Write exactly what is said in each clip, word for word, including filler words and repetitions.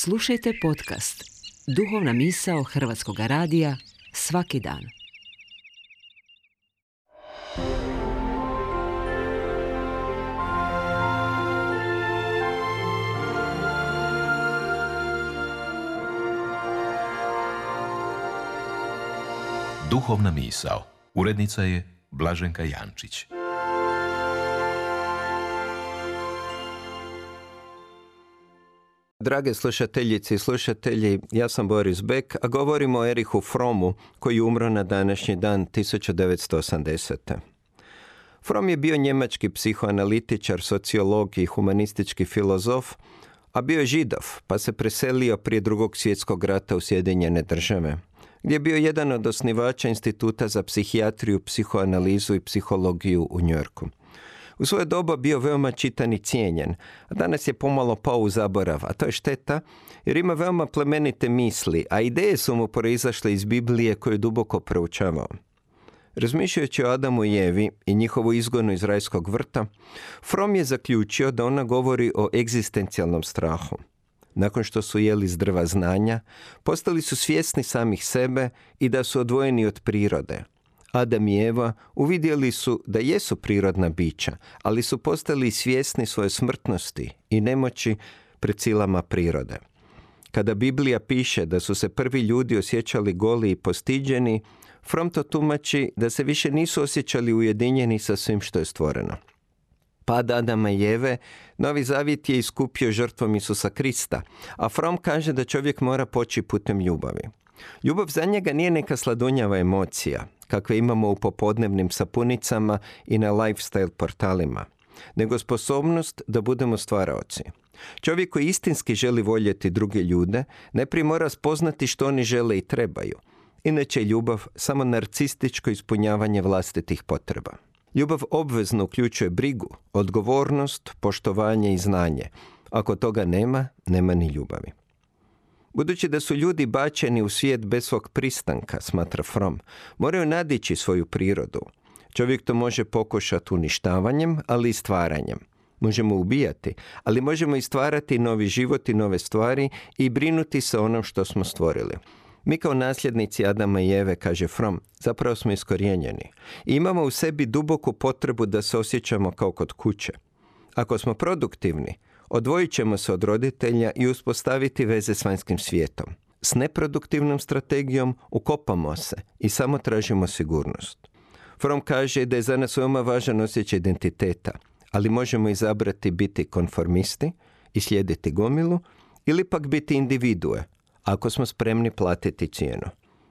Slušajte podcast Duhovna misao Hrvatskog radija svaki dan. Duhovna misao. Urednica je Blaženka Jančić. Drage slušateljice i slušatelji, ja sam Boris Beck, a govorimo o Erichu Frommu, koji je umro na današnji dan tisuću devetsto osamdesete. Fromm je bio njemački psihoanalitičar, sociolog i humanistički filozof, a bio je Židov, pa se preselio prije Drugog svjetskog rata u Sjedinjene Države, gdje je bio jedan od osnivača Instituta za psihijatriju, psihoanalizu i psihologiju u Njujorku. U svoje doba bio veoma čitan i cijenjen, a danas je pomalo pao u zaborav, a to je šteta jer ima veoma plemenite misli, a ideje su mu proizašle iz Biblije koju je duboko proučavao. Razmišljajući o Adamu i Evi i njihovu izgonu iz rajskog vrta, Fromm je zaključio da ona govori o egzistencijalnom strahu. Nakon što su jeli s drva znanja, postali su svjesni samih sebe i da su odvojeni od prirode. Adam i Eva uvidjeli su da jesu prirodna bića, ali su postali svjesni svoje smrtnosti i nemoći pred silama prirode. Kada Biblija piše da su se prvi ljudi osjećali goli i postiđeni, Fromm to tumači da se više nisu osjećali ujedinjeni sa svim što je stvoreno. Pad Adama i Eve, Novi Zavjet je iskupio žrtvom Isusa Krista, a Fromm kaže da čovjek mora poći putem ljubavi. Ljubav za njega nije neka sladunjava emocija, kakve imamo u popodnevnim sapunicama i na lifestyle portalima, nego sposobnost da budemo stvaraoci. Čovjek koji istinski želi voljeti druge ljude, najprije mora spoznati što oni žele i trebaju. Inače je ljubav samo narcističko ispunjavanje vlastitih potreba. Ljubav obvezno uključuje brigu, odgovornost, poštovanje i znanje. Ako toga nema, nema ni ljubavi. Budući da su ljudi bačeni u svijet bez svog pristanka, smatra Fromm, moraju nadići svoju prirodu. Čovjek to može pokušati uništavanjem, ali i stvaranjem. Možemo ubijati, ali možemo i stvarati novi život i nove stvari i brinuti se o onom što smo stvorili. Mi kao nasljednici Adama i Eve, kaže Fromm, zapravo smo iskorijenjeni. I imamo u sebi duboku potrebu da se osjećamo kao kod kuće. Ako smo produktivni, odvojit ćemo se od roditelja i uspostaviti veze s vanjskim svijetom. S neproduktivnom strategijom ukopamo se i samo tražimo sigurnost. Fromm kaže da je za nas veoma važan osjećaj identiteta, ali možemo izabrati biti konformisti i slijediti gomilu ili pak biti individue, ako smo spremni platiti cijenu.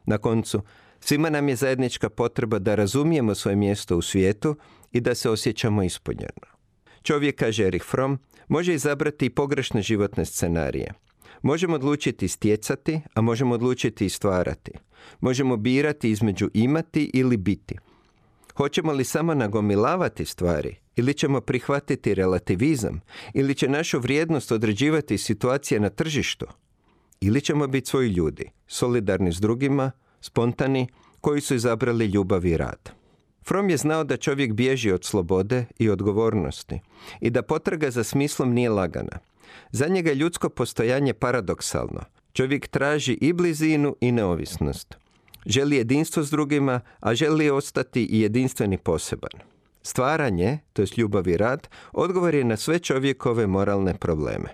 Na koncu, svima nam je zajednička potreba da razumijemo svoje mjesto u svijetu i da se osjećamo ispunjeno. Čovjek, kaže Erich Fromm, može izabrati i pogrešne životne scenarije. Možemo odlučiti stjecati, a možemo odlučiti i stvarati. Možemo birati između imati ili biti. Hoćemo li samo nagomilavati stvari ili ćemo prihvatiti relativizam ili će našu vrijednost određivati situacija na tržištu? Ili ćemo biti svoji ljudi, solidarni s drugima, spontani, koji su izabrali ljubav i rad. Fromm je znao da čovjek bježi od slobode i odgovornosti i da potraga za smislom nije lagana. Za njega je ljudsko postojanje paradoksalno. Čovjek traži i blizinu i neovisnost. Želi jedinstvo s drugima, a želi ostati i jedinstveni poseban. Stvaranje, to jest ljubav i rad, odgovor je na sve čovjekove moralne probleme.